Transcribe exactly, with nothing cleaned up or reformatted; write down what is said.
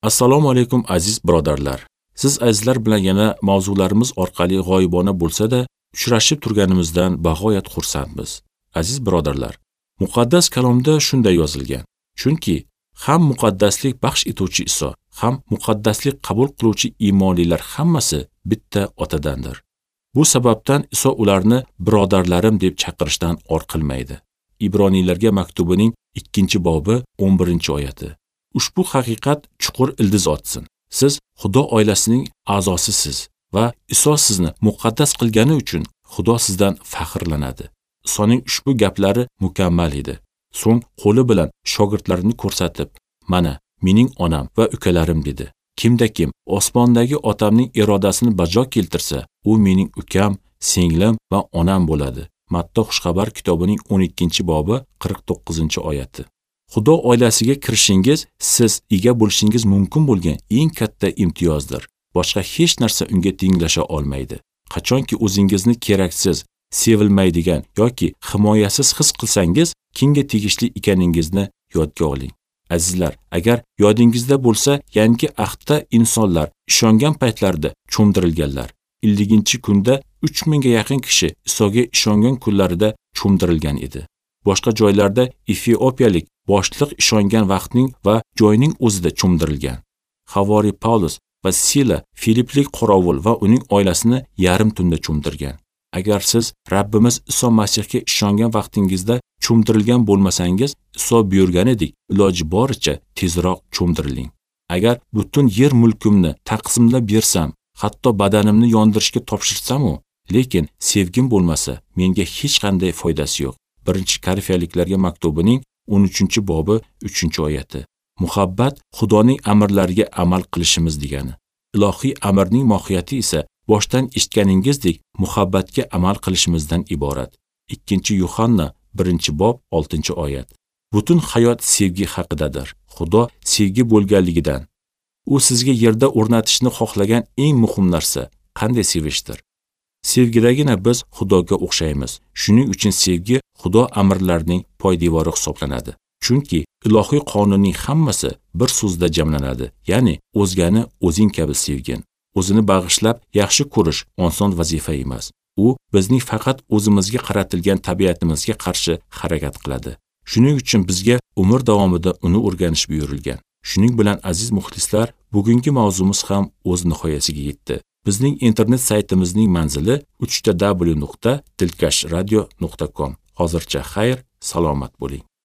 Assalomu alaykum aziz birodarlar. Siz azizlar bilan yana mavzularimiz orqali g'oyibona bo'lsa-da uchrashib turganimizdan bag'oyat xursandmiz. Aziz birodarlar, muqaddas kalomda shunday yozilgan. Chunki ham muqaddaslik baxsh etuvchi Iso, ham muqaddaslik qabul qiluvchi iymonlilar hammasi bitta otadandir. Bu sababdan Iso ularni birodarlarim deb chaqirishdan or qilmaydi. Ibroniylarga maktubining ikkinchi bobi o'n birinchi oyati. Ushbu haqiqat chuqur ildiz otsin. Siz Xudo oilasining a'zosisiz va Iso sizni muqaddas qilgani uchun Xudo sizdan faxrlanadi. Isoning ushbu gaplari mukammal edi. So'ng qo'li bilan shogirdlarini ko'rsatib, "Mana mening onam va ukalarim" dedi. Kimda kim osmondagi otamning irodasini bajo keltirsa, u mening ukam, singlim va onam bo'ladi. Matta Xushxabar kitobining o'n ikkinchi bobi qirq to'qqizinchi oyati. Xudo oilasiga kirishingiz siz ega bo'lishingiz mumkin bo'lgan eng katta imtiyozdir. Boshqa hech narsa unga tenglasha olmaydi. Qachonki o'zingizni keraksiz, sevilmaydigan yoki himoyasiz his qilsangiz, kimga tegishli ekaningizni yodga oling. Azizlar, agar yodingizda bo'lsa, yangi ahdda insonlar ishongan paytlarida cho'mdirilganlar. ellinchi kunda uch mingga yaqin kishi Isoga ishongan kunlarida cho'mdirilgan edi. Boshqa joylarda efiopiyalik boshliq ishongan vaqtning va joyning o'zida cho'mdirilgan. Havori Paulus va Sila Filiplik qorovul va uning oilasini yarim tunda cho'mdirgan. Agar siz Rabbimiz Iso Masihga ishongan vaqtingizda cho'mdirilgan bo'lmasangiz, Iso buyurganidek iloji boricha tezroq cho'mdiriling. Agar butun yer mulkimni taqsimlab bersam, hatto badanimni yondirishga topshirsam-u, lekin sevgim bo'lmasa, menga hech qanday foydasi yo'q. Birinchi Korinfliklarga maktubining o'n uchinchi bobi uchinchi oyati. Muhabbat Xudoning amrlariga amal qilishimiz degani. Ilohiy amrning mohiyati esa boshdan eshitganingizdek muhabbatga amal qilishimizdan iborat. Ikkinchi Yuhanna birinchi bob oltinchi oyat. Butun hayot sevgi haqidadir. Xudo sevgi bo'lganligidan. U sizga yerda o'rnatishni xohlagan eng muhim narsa qanday sevishdir. Sevgidagina biz Xudoga o'xshaymiz. Shuning uchun sevgi Xudo amrlarining poydevori hisoblanadi. Chunki ilohiy qonunning hammasi bir so'zda jamlanadi. Ya'ni o'zgani o'zing kabi sevgin. O'zini bag'ishlab yaxshi ko'rish oson vazifa emas. U bizning faqat o'zimizga qaratilgan tabiatimizga qarshi harakat qiladi. Shuning uchun bizga umr davomida uni o'rganish buyurilgan. Shuning bilan aziz muxlislar, bugungi mavzumiz ham o'z nihoyasiga yetdi. Bizning internet saytimizning manzili uch ta w nuqta dilkash radio nuqta com. Hozircha xayr, salomat bo'ling.